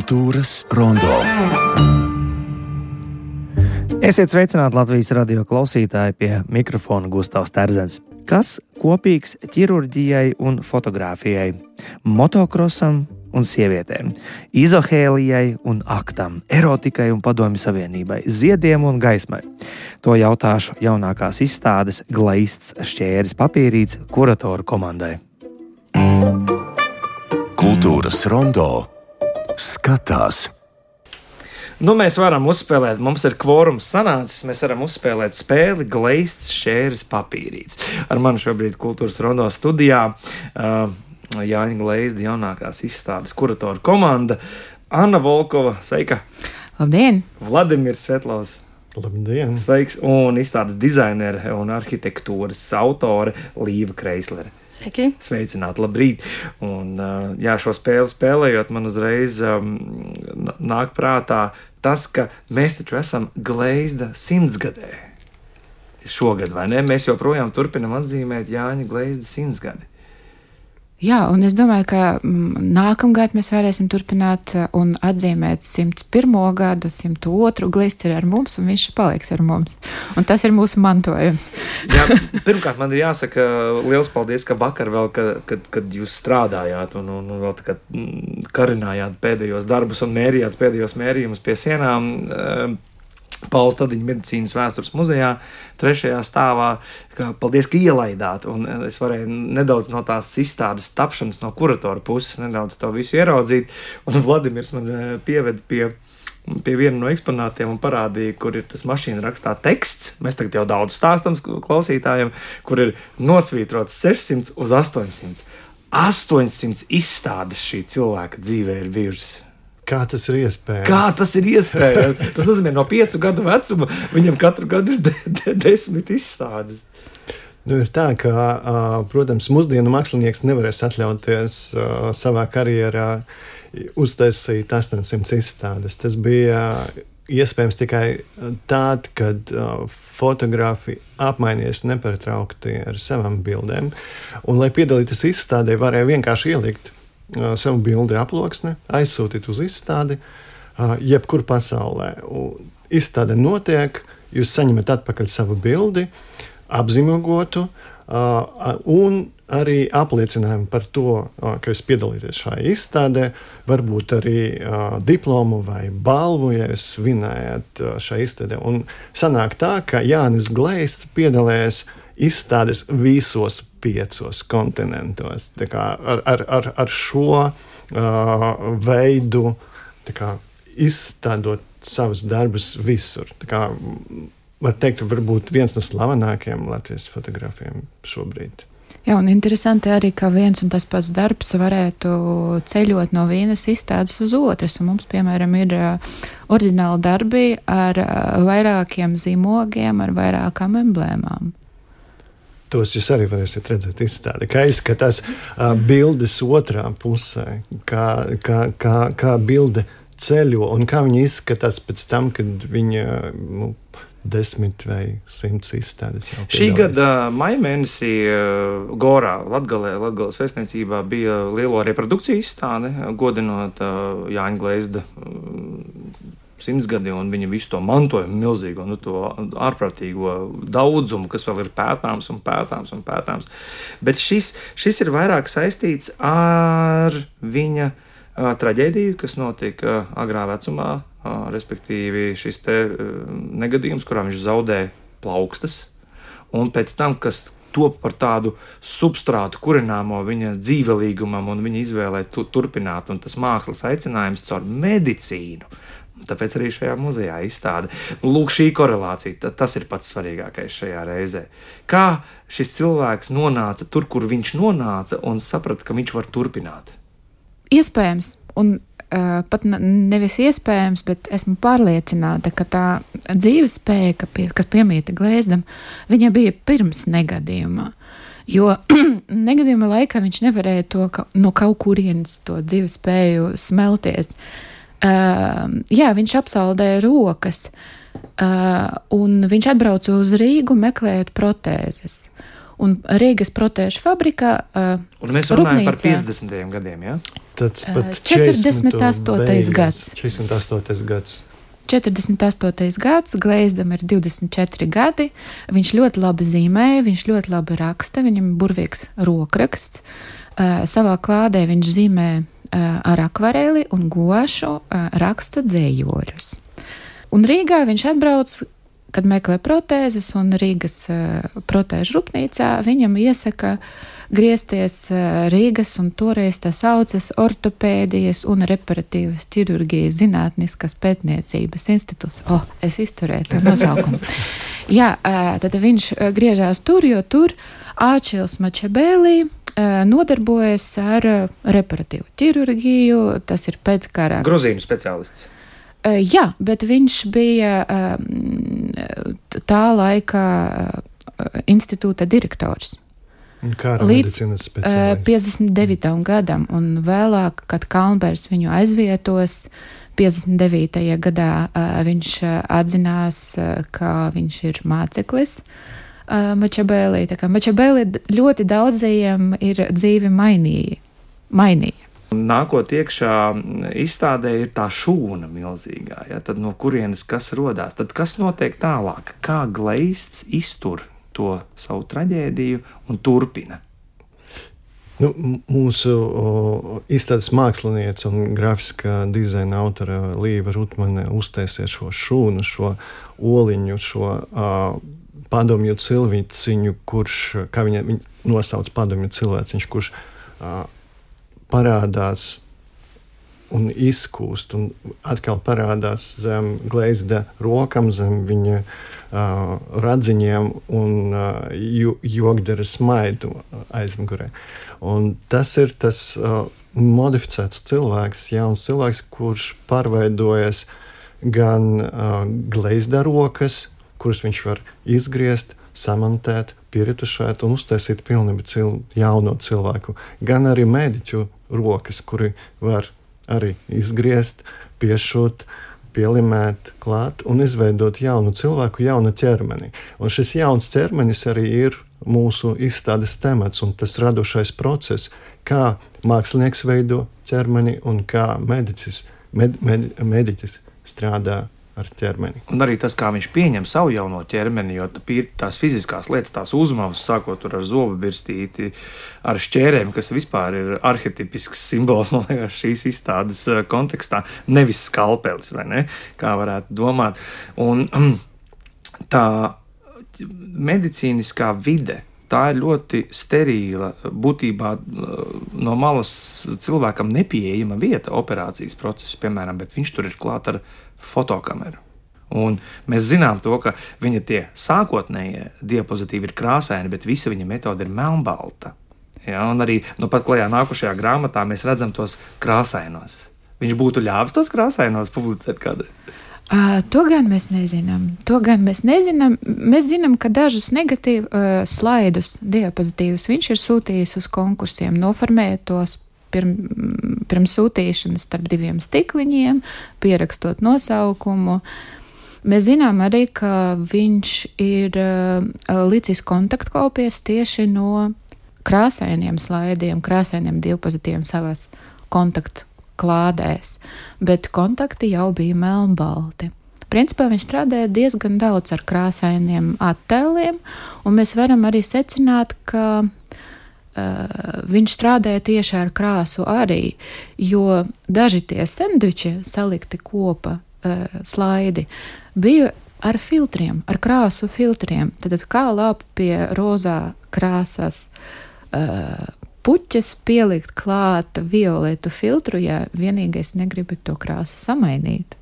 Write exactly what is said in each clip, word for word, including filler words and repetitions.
Kultūras rondo. Esiet sveicināti Latvijas radio klausītāji, pie mikrofona Gustavs Terzens. Kas kopīgs ķirurģijai un fotogrāfijai, motokrosam un sievietēm, izohēlijai un aktam, erotikai un padomju savienībai, ziediem un gaismai? To jautāšu jaunākās izstādes Glaists šķēris papīrīts kuratoru komandai. Kultūras rondo skatās. Nu, mēs varam uzspēlēt, mums ir kvorums sanācis, mēs varam uzspēlēt spēli Glaists šķēris papīrīts. Ar mani šobrīd Kultūras rondo studijā uh, Jāņa Gleizda jaunākās izstādes kuratoru komanda, Anna Volkova, sveika! Labdien! Vladimirs Svetlovs. Labdien! Sveiks! Un izstādes dizainere un arhitektūras autore Līva Kreislere. Sveiki! Sveicināti, labrīt! Un, jā, šo spēli spēlējot, man uzreiz um, nāk prātā tas, ka mēs taču esam Gleizda simtsgadē. Šogad, vai ne? Mēs joprojām turpinam atzīmēt Jāņa Gleizda simtsgadi. Jā, un es domāju, ka nākamgad mēs varēsim turpināt un atzīmēt simt pirmo gadu, simt otru. Gleizds ir ar mums, un viņš paliks ar mums. Un tas ir mūsu mantojums. Jā, pirmkārt, man ir jāsaka liels paldies, ka vakar vēl, kad, kad, kad jūs strādājāt un, un, un vēl tā kā karinājāt pēdējos darbus un mērījāt pēdējos mērījumus pie sienām, Paula Stadiņa medicīnas vēstures muzejā, trešajā stāvā. Ka, paldies, ka ielaidāt, un es varēju nedaudz no tās izstādes tapšanas no kuratora puses, nedaudz to visu ieraudzīt, un Vladimirs man pieveda pie, pie viena no eksponātiem un parādīja, kur ir tas mašīna rakstā teksts. Mēs tagad jau daudz stāstam klausītājiem, kur ir nosvītrots sešsimt uz astoņsimt. astoņsimt izstādes šī cilvēka dzīvē ir bijušas. Kā tas ir iespējams? Kā tas ir iespējams? Tas nozīmē, no piecu gadu vecuma viņam katru gadu ir de, de, desmit izstādes. Nu, ir tā, ka, protams, mūsdienu mākslinieks nevarēs atļauties savā karjerā uztaisīt astoņsimt izstādes. Tas bija iespējams tikai tād, kad fotografi apmainies nepārtraukti ar savām bildēm. Un, lai piedalīties izstādē, varēja vienkārši ielikt savu bildi aploksni, aizsūtīt uz izstādi, jebkur pasaulē. Izstāde notiek, jūs saņemat atpakaļ savu bildi, apzīmogotu un arī apliecinājumu par to, ka jūs piedalīties šajā izstādē, varbūt arī diplomu vai balvu, ja jūs vinējat šajā izstādē. Un sanāk tā, ka Jānis Gleizds piedalījās izstādes visos piecos kontinentos. Tā kā ar, ar, ar, ar šo uh, veidu tā kā izstādot savus darbus visur. Tā kā var teikt, varbūt viens no slavenākajiem Latvijas fotogrāfiem šobrīd. Jā, un interesanti arī, ka viens un tas pats darbs varētu ceļot no vienas izstādes uz otras. Un mums, piemēram, ir uh, oriģināli darbi ar uh, vairākiem zīmogiem, ar vairākām emblēmām. Tos jūs arī varēsiet redzēt izstādē, kā izskatās uh, bildes otrā pusē, kā, kā, kā, kā bilde ceļo un kā viņa izskatās pēc tam, kad viņa nu, desmit vai simts izstādes jau piedalās. Šī gada maija mēnesī uh, Gorā, Latgalē, Latgales vēstniecībā bija lielo reprodukciju izstāde, godinot uh, Jāņa Gleizda uh, simtsgadi un viņa visu to mantojumu milzīgo, nu to ārprātīgo daudzumu, kas vēl ir pētāms un pētāms un pētāms. Bet šis, šis ir vairāk saistīts ar viņa uh, traģēdiju, kas notika uh, agrā vecumā, uh, respektīvi šis te uh, negadījums, kurā viņš zaudē plaukstas, un pēc tam, kas top par tādu substrātu kurināmo viņa dzīvelīgumam un viņa izvēlē tu, turpināt, un tas mākslas aicinājums caur medicīnu. Tāpēc arī šajā muzejā izstāde. Lūk, šī korelācija, tas ir pats svarīgākais šajā reizē. Kā šis cilvēks nonāca tur, kur viņš nonāca, un saprata, ka viņš var turpināt? Iespējams, un uh, pat nevis iespējams, bet esmu pārliecināta, ka tā dzīvespēja, pie, kas piemīta Gleizdam, viņa bija pirms negadījumā. Jo negadījuma laikā viņš nevarēja to ka, no kaut kurienes to dzīvespēju smelties. Uh, jā, viņš apsaldēja rokas, uh, un viņš atbrauca uz Rīgu meklējot protēzes. Un Rīgas protēžu fabrikā uh, un mēs runājam rūpnīcā, par piecdesmitajiem gadiem, ja? Tas pat četrdesmit astotais gads. četrdesmit astotais gads. četrdesmit astotais gads, Gleizdam ir divdesmit četri gadi, viņš ļoti labi zīmēja, viņš ļoti labi raksta, viņam burvīgs rokraksts. Uh, savā klādē viņš zīmē uh, ar akvareli un gošu uh, raksta dzējoļus. Un Rīgā viņš atbrauc, kad meklē protēzes, un Rīgas uh, protēžu rūpnīcā viņam iesaka griezties uh, Rīgas, un toreiz tas saucas ortopēdijas un reparatīvas ķirurģijas zinātniskas pētniecības institūts. O, oh, es izturēju to nosaukumu. Jā, uh, tad viņš uh, griežās tur, jo tur Āčils Mačabēlī uh, nodarbojas ar uh, reparatīvu ķirurģiju, tas ir pēckara. Gruzīnu speciālists. Uh, jā, bet viņš bija uh, tā laika uh, institūta direktors. Līdz uh, piecdesmit devītajam gadam, un vēlāk, kad Kalnbergs viņu aizvietos, piecdesmit devītajā gadā uh, viņš uh, atzinās, uh, ka viņš ir māceklis uh, Mačabēlī. Tā kā Mačabēlī ļoti daudzajiem ir dzīvi mainīja. mainīja. Nākot iekšā izstādē ir tā šūna milzīgā, ja? Tad no kurienes kas rodās, tad kas notiek tālāk, kā Gleizds iztur to savu traģēdiju un turpina? Nu, mūsu o, izstādes māksliniece un grafiskā dizaina autora Līva Rutmane uztaisīja šo šūnu, šo oliņu, šo uh, padomju cilvēciņu, kurš, kā viņa, viņa nosauc padomju cilvēciņš, kurš uh, parādās un izkūst, un atkal parādās zem Gleizda rokam, zem viņa uh, radziņiem un uh, jogdara smaidu aizmugurē. Un tas ir tas uh, modificēts cilvēks, jauns cilvēks, kurš pārveidojas gan uh, Gleizda rokas, kuras viņš var izgriezt, samantēt, pieretušēt un uztaisīt pilnīgi cil, jauno cilvēku, gan arī mediķu rokas, kuri var arī izgriezt, piešūt, pielimēt klāt un izveidot jaunu cilvēku, jaunu ķermeni. Un šis jauns ķermenis arī ir mūsu izstādes temats un tas radošais process, kā mākslinieks veido ķermeni un kā medicis, med, med, mediķis strādā ar ķermeni. Un arī tas, kā viņš pieņem savu jauno ķermeni, jo tās fiziskās lietas, tās uzmavas, sākot ar zobu birstīti, ar šķērēm, kas vispār ir arhetipisks simbols, man liekas, šīs izstādes kontekstā, nevis skalpelis, vai ne, kā varētu domāt. Un tā medicīniskā vide, tā ir ļoti sterīla, būtībā no malas cilvēkam nepieejama vieta operācijas procesa, piemēram, bet viņš tur ir klāt ar fotokameru. Un mēs zinām to, ka viņa tie sākotnējie diapozitīvi ir krāsaini, bet visa viņa metode ir melnbalta. Ja, un arī no pat klajā nākošajā grāmatā mēs redzam tos krāsainos. Viņš būtu ļāvis tos krāsainos publicēt kādreiz? Uh, to gan mēs nezinām. To gan mēs nezinām. Mēs zinām, ka dažus negatīvus uh, slaidus, diapozitīvus viņš ir sūtījis uz konkursiem, noformējot tos pirm, pirms sūtīšanas starp diviem stikliņiem, pierakstot nosaukumu. Mēs zinām arī, ka viņš ir uh, licis kontaktkopijas tieši no krāsainiem slaidiem, krāsainiem diapozitīviem savās kontaktu klādēs, bet kontakti jau bija melnbalti. Principā viņš strādāja diezgan daudz ar krāsainiem attēliem, un mēs varam arī secināt, ka uh, viņš strādāja tieši ar krāsu arī, jo daži tie sendviči salikti kopa uh, slaidi bija ar filtriem, ar krāsu filtriem. Tad kā lāp pie rozā krāsas uh, puķes pielikt klāt violetu filtru, ja vienīgais negribu to krāsu samainīt.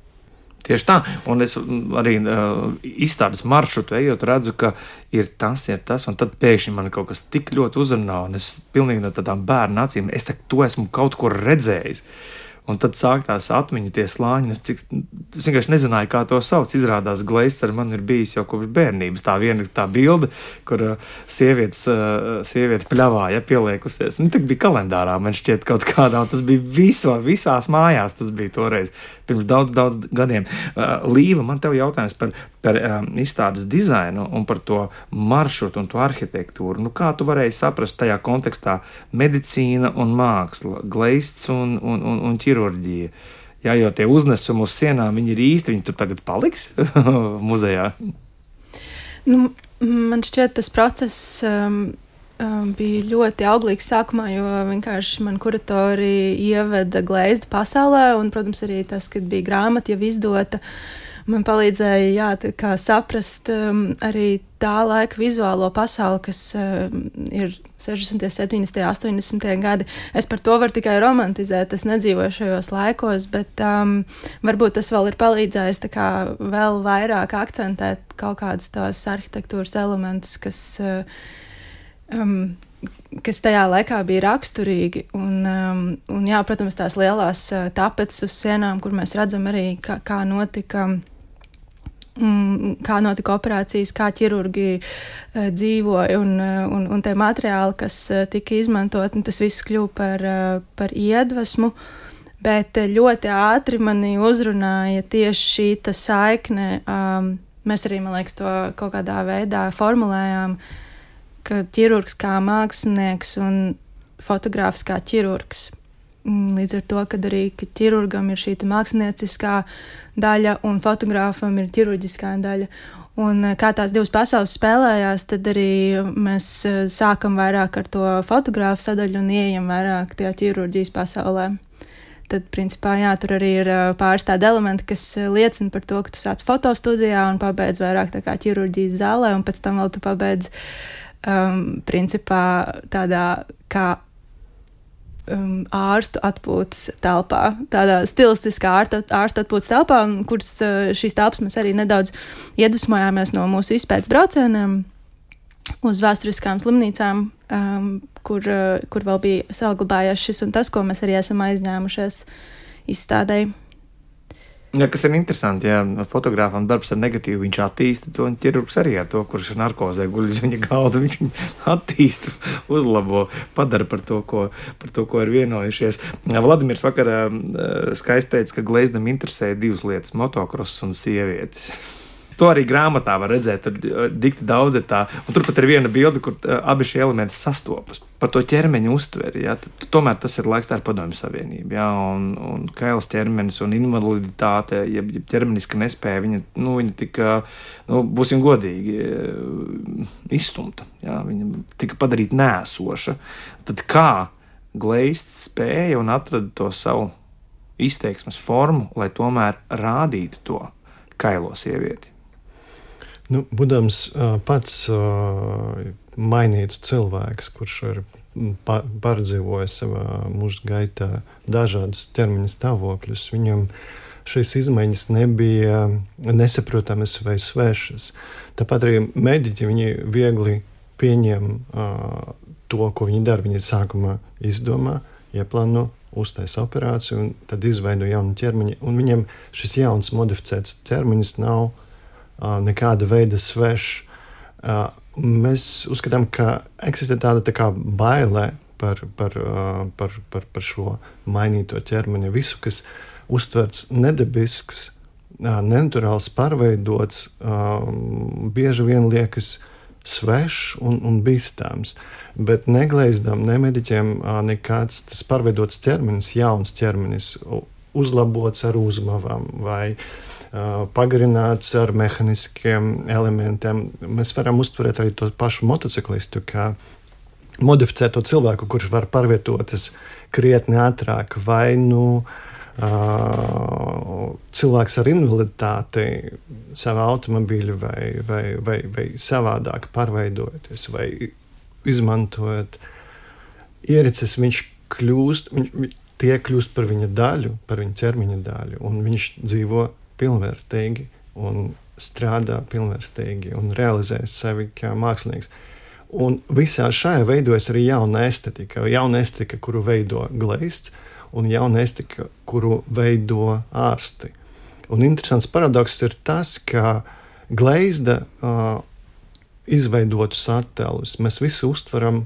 Tieši tā, un es arī uh, izstādes maršrutu ejot redzu, ka ir tas, ir tas, un tad pēkšņi man kaut kas tik ļoti uzrunā, un es pilnīgi no tādām bērnu acīm, es te, to esmu kaut kur redzējis. Un tad sāk tās atmiņu, tie slāņi, es cik es vienkārši nezināju, kā to sauc. Izrādās Gleizds ar mani ir bijis jau kopš bērnības. Tā viena tā bilde, kur uh, sievietes, uh, sieviete pļavā, ja, pieliekusies. Nu, tā bija kalendārā, man šķiet kaut kādā, un tas bija viso, visās mājās, tas bija toreiz, pirms daudz, daudz gadiem. Uh, Līva, man tev jautājums par, par um, izstādes dizainu un par to maršrutu un to arhitektūru. Nu, kā tu varēji saprast tajā kontekstā medicīna un māksla, Gleizds un, un, un, un ķirurģija? Jā, jo tie uznesumi uz sienām, viņi ir īsti, viņi tur tagad paliks muzejā. Nu, man šķiet, tas process um, um, bija ļoti auglīgs sākumā, jo vienkārši man kuratori ieveda Gleizda pasaulē, un, protams, arī tas, kad bija grāmata jau izdota, man palīdzēja, jā, tā kā saprast um, arī tā laika vizuālo pasauli, kas um, ir sešdesmitie, septiņdesmitie, astoņdesmitie gadi. Es par to varu tikai romantizēt, es nedzīvoju šajos laikos, bet um, varbūt tas vēl ir palīdzējis tā kā vēl vairāk akcentēt kaut kādas tās arhitektūras elementus, kas, uh, um, kas tajā laikā bija raksturīgi. Un, um, un jā, protams, tās lielās uh, tapetes uz sienām, kur mēs redzam arī, kā, kā notika... kā notika operācijas, kā ķirurgi uh, dzīvoja un, uh, un, un tie materiāli, kas uh, tika izmantot, un tas viss kļuva par, uh, par iedvesmu, bet uh, ļoti ātri mani uzrunāja tieši šī ta saikne. Um, mēs arī, man liekas, to kaut kādā veidā formulējām, ka ķirurgs kā mākslinieks un fotogrāfs kā ķirurgs. Līdz ar to, kad arī ka ķirurgam ir šī mākslinieciskā daļa un fotogrāfam ir ķirurģiskā daļa. Un kā tās divas pasaules spēlējās, tad arī mēs sākam vairāk ar to fotogrāfu sadaļu un ieejam vairāk tajā ķirurģijas pasaulē. Tad, principā, jā, tur arī ir pāris tādi elementi, kas liecina par to, ka tu sāc fotostudijā un pabeidz vairāk tā kā ķirurģijas zālē, un pēc tam vēl tu pabeidz, um, principā, tādā kā Um, ārstu atpūtas telpā, tādā stilistiskā ārstu, ārstu atpūtas telpā, kuras uh, šīs telpas mēs arī nedaudz iedvesmojāmies no mūsu izpētes braucieniem uz vēsturiskām slimnīcām, um, kur, uh, kur vēl bija saglabājies šis un tas, ko mēs arī esam aizņēmušies izstādēji. Ja, kas ir interesanti, ja fotogrāfam darbs ar negatīvu, viņš attīsta to, un ķirurgs arī ar to, kurš ir narkozē guļ uz viņa galda, viņš attīsta, uzlabo, padara par to, ko, par to, ko ir vienojušies. Vladimirs vakarā skaisti teica, ka Gleizdam interesēja divas lietas - motokross un sievietes. To arī grāmatā var redzēt, tur dikti daudz ir tā, un turpat ir viena bilde, kur abi šie elementi sastopas. Par to ķermeņa uztveri, ja, tad, tomēr tas ir laiks, tā ir Padomju Savienība, ja, un, un kails ķermenis un invaliditāte, ja, ja ķermeniska nespēja, viņa, nu, viņa tika, nu, būsim godīgi, izstumta, ja, viņa tika padarīta nēsoša. Tad kā Gleizds spēja un atrada to savu izteiksmes formu, lai tomēr rādītu to kailo sievieti? Nu, būdams uh, pats uh, mainīts cilvēks, kurš ir pa, pārdzīvojis savā mūža gaitā dažādas ķermeņa stāvokļus, viņam šīs izmaiņas nebija nesaprotamas vai svešas. Tāpat arī mediķi, viņi viegli pieņem uh, to, ko viņi dara. Viņi sākumā izdomā, ieplāno, uztaisa operāciju un tad izveido jaunu ķermeņu. Un viņam šis jauns modificēts ķermenis nav Uh, nekāda veida svešs. Uh, mēs uzskatām, ka eksistē tāda tā kā baile par, par, uh, par, par, par šo mainīto ķermeni. Visu, kas uztverts nedabisks, uh, nenaturāls, pārveidots, uh, bieži vien liekas svešs un, un bīstams. Bet ne Gleizdam, ne mediķiem uh, nekāds tas pārveidots ķermenis, jauns ķermenis, uzlabots ar uzmavām vai Uh, pagarināts ar mehaniskiem elementiem. Mēs varam uztverēt arī to pašu motociklistu, kā modificēto cilvēku, kurš var pārvietoties krietni ātrāk, vai nu uh, cilvēks ar invaliditāti savā automobīļu vai, vai, vai, vai savādāk pārveidojoties, vai izmantojot ierīces, viņš kļūst, viņš, tie kļūst par viņa daļu, par viņa ķermeņa daļu, un viņš dzīvo pilnvērtīgi un strādā pilnvērtīgi un realizē sevi kā mākslinieks. Un visā šajā veidojas arī jauna estetika, jauna estetika, kuru veido Gleizds, un jauna estetika, kuru veido ārsti. Un interesants paradoks ir tas, ka Gleizda uh, izveidotus attēlus mēs visi uztveram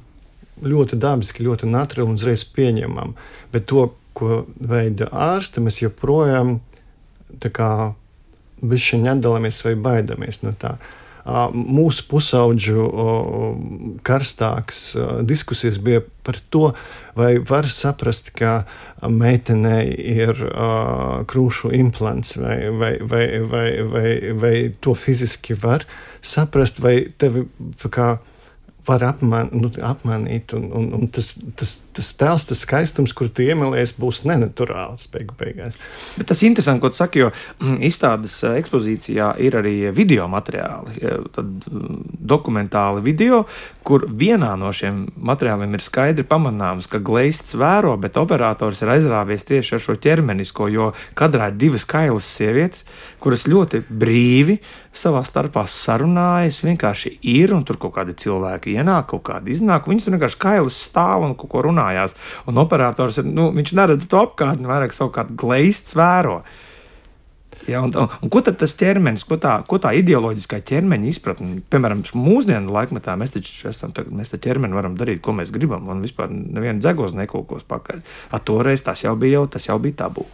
ļoti dabiski, ļoti naturāli un uzreiz pieņemam. Bet to, ko veida ārste, mēs joprojām tā kā bišķiņ atdalāmies vai baidamies no tā. Mūsu pusaudžu karstākas diskusijas bija par to, vai var saprast, ka meitenei ir krūšu implants, vai, vai, vai, vai, vai, vai to fiziski var saprast, vai tevi kā var apman, nu, apmanīt, un, un, un tas, tas, tas tēls, tas skaistums, kur tu iemīlies, būs nenaturāls beigu beigās. Bet tas interesanti, ko tu saki, jo izstādes ekspozīcijā ir arī video materiāli, tad dokumentāli video, kur vienā no šiem materiāliem ir skaidri pamanāms, ka Gleizds vēro, bet operators ir aizrāvies tieši ar šo ķermenisko, jo kadrā ir divas kailas sievietes, kuras ļoti brīvi savā starpā sarunājas, vienkārši ir, un tur kaut kādi cilvēki ienāk, kaut kādi iznāk, viņas tur vienkārši kailas stāv un kaut ko runājās. Un operators, nu, viņš neredz to apkārtni, vairāk savukārt Gleizds vēro. Ja, un, un, un ko tad tas ķermenis, ko tā, ko tā ideoloģiskā ķermeņa izpratne, piemēram, mūsdienu laikmetā mēs taču esam, mēs tā ķermeni varam darīt, ko mēs gribam, un vispār neviena dzegos nekūkos pakaļ. A toreiz tas jau bija, jau, tas jau bija tabū.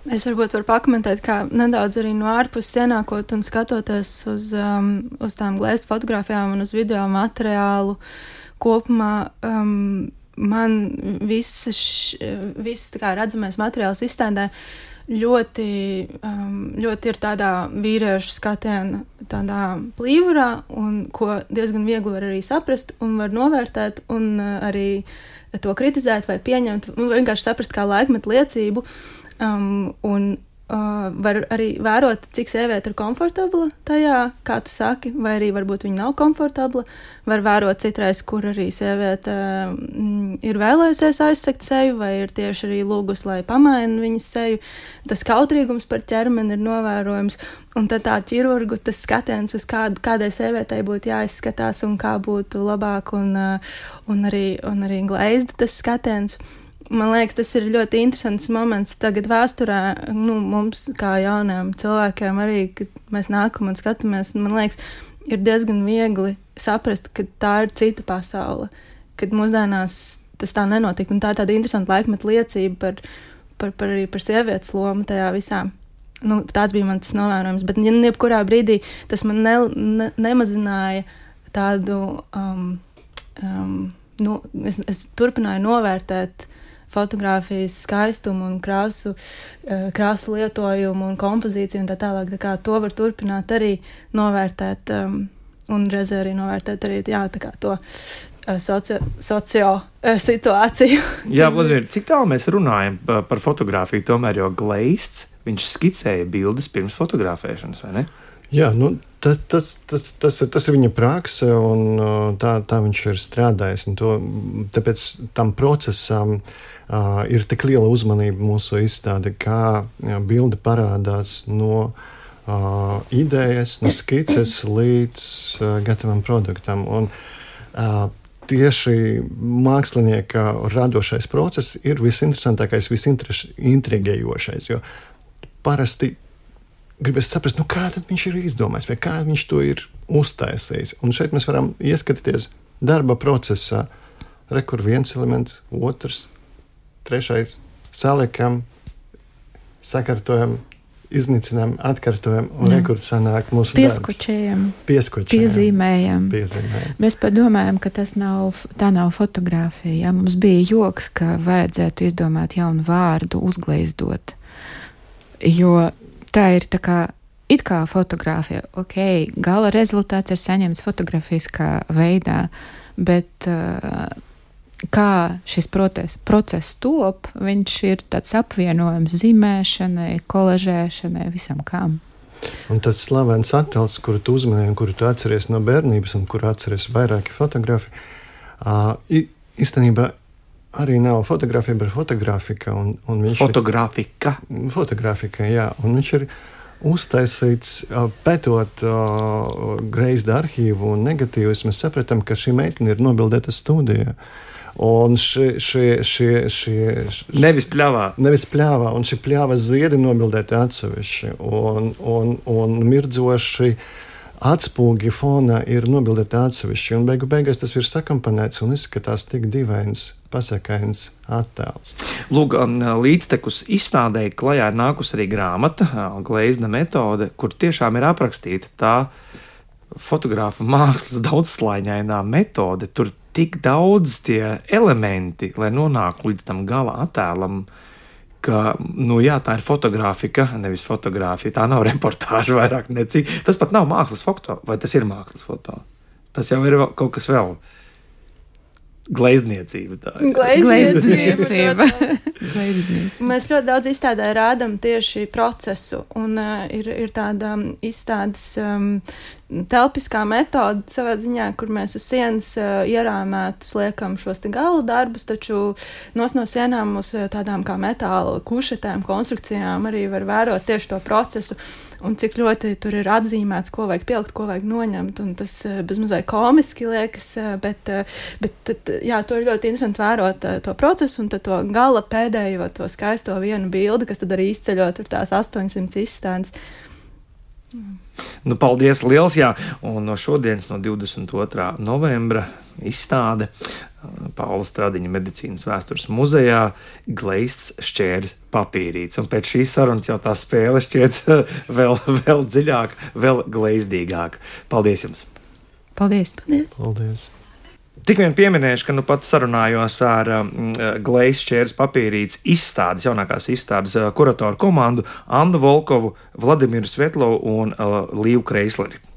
Es varbūt varu pakomentēt, kā nedaudz arī no ārpuses ienākot un skatoties uz, um, uz tām Gleizda fotogrāfijām un uz video materiālu kopumā. Um, man viss, viss tā kā redzamais materiāls izstādē ļoti, um, ļoti ir tādā vīriešu skatiena, tādā plīvurā, un ko diezgan viegli var arī saprast un var novērtēt un uh, arī to kritizēt vai pieņemt, un vienkārši saprast kā laikmetu liecību. Um, un uh, var arī vērot, cik sieviete ir komfortabla tajā, kā tu saki, vai arī varbūt viņa nav komfortabla. Var vērot citreiz, kur arī sieviete mm, ir vēlējusies aizsegt seju, vai ir tieši arī lūgus, lai pamaina viņas seju. Tas kautrīgums par ķermeni ir novērojams, un tad tā ķirurgu tas skatiens uz kādu, kādai sievietei būtu jāizskatās un kā būtu labāk, un, uh, un, arī, un arī Gleizda tas skatiens. Man liekas, tas ir ļoti interesants moments tagad vēsturē, nu, mums kā jauniem cilvēkiem arī, kad mēs nākam un skatāmies, man liekas, ir diezgan viegli saprast, ka tā ir cita pasaule, kad mūsdienās tas tā nenotika, un tā ir tāda interesanta laikmeta liecība par, par, par arī par sievietes lomu tajā visā. Nu, tāds bija man tas novērojums, bet jebkurā brīdī tas man ne, ne, nemazināja tādu, um, um, nu, es, es turpināju novērtēt fotogrāfijas skaistumu un krāsu, krāsu lietojumu un kompozīciju un tā tālāk. Tā kā to var turpināt arī novērtēt um, un reizē arī novērtēt arī, jā, tā kā to uh, socio, socio uh, situāciju. Jā, Vladimir, cik tālu mēs runājam par, par fotogrāfiju tomēr, jo Gleizds, viņš skicēja bildes pirms fotografēšanas, vai ne? Jā, nu, tas, tas, tas, tas, tas ir viņa prakse, un tā, tā viņš ir strādājis. To, tāpēc tam procesam uh, ir tik liela uzmanība mūsu izstāde, kā jā, bilde parādās no uh, idejas, no skices līdz uh, gatavam produktam. Un, uh, tieši mākslinieka radošais process ir visinteresantākais, visintrigējošais, jo parasti gribas saprast, nu kā tad viņš ir izdomājis, vai kā viņš to ir uztaisījis. Un šeit mēs varam ieskatīties darba procesā. Re, kur viens elements, otrs, trešais, saliekam, sakārtojam, iznīcinām, atkārtojam, un re, kur sanāk mūsu Pieskučējam, Pieskučējam, piezīmējam. piezīmējam. Mēs padomājam, ka tas nav, tā nav fotogrāfija. Ja? Mums bija joks, ka vajadzētu izdomāt jaunu vārdu, uzglaizdot. Jo tā ir tā kā, it kā fotogrāfija, ok, gala rezultāts ir saņemts fotografiskā veidā, bet uh, kā šis proces, process top, viņš ir tāds apvienojums zīmēšanai, kolažēšanai, visam kam. Un tas slavens attēls, kuru tu uzmanēji un kuru tu atceries no bērnības un kuru atceries vairāki fotografi, uh, īstenībā arī nav fotografija, bet fotografika. Un, un viņš Fotografika. Ir, fotografika, jā. Un viņš ir uztaisīts, pētot uh, Gleizda arhīvu un negatīvus. Mēs sapratām, ka šī meitene ir nobildēta studijā. Un šie, šie, šie, šie, šie nevis pļāvā. Nevis pļāvā, un šī pļāvas ziedi nobildēti atsevišķi, un, un, un mirdzoši atspūgi fonā ir nobildēti atsevišķi, un beigu beigās tas ir sakampanēts un izskatās tik divains, pasakains attēls. Lūk, līdztekus izstādēji klajā ir nākus arī grāmata, Gleizda metode, kur tiešām ir aprakstīta tā fotogrāfa mākslas daudzslāņainā metode. Tur tik daudz tie elementi, lai nonāktu līdz tam gala attēlam, ka, nu jā, tā ir fotografika, nevis fotografija, tā nav reportāža vairāk necik. Tas pat nav mākslas foto, vai tas ir mākslas foto? Tas jau ir kaut kas vēl. Gleizdniecība tā ir. Gleizdniecība. Gleizdniecība. Mēs ļoti daudz izstādē rādam tieši procesu, un uh, ir, ir tāda izstādes um, telpiskā metode savā ziņā, kur mēs uz sienas uh, ierāmētus liekam šos te gala darbus, taču nos no sienām uz tādām kā metāla kušetēm, konstrukcijām arī var vērot tieši to procesu. Un cik ļoti tur ir atzīmēts, ko vajag pielikt, ko vajag noņemt, un tas bezmazliet komiski liekas, bet, bet jā, to ir ļoti interesanti vērot to procesu, un tad to gala pēdējo, to skaisto vienu bildi, kas tad arī izceļo tur tās astoņsimt izstādes. Nu, paldies liels, jā, un no šodienas, no divdesmit otrā novembra izstāde Paula Stradiņa medicīnas vēstures muzejā Gleizds šķērs papīrīts. Un pēc šīs sarunas jau tā spēle šķiet vēl, vēl dziļāk, vēl gleizdīgāk. Paldies jums! Paldies! Paldies! Paldies. Tik vien pieminēšu, ka nu pat sarunājos ar um, Gleizds šķērs papīrīts izstādes, jaunākās izstādes uh, kuratoru komandu Annu Volkovu, Vladimiru Svetlovu un uh, Līvu Kreisleri.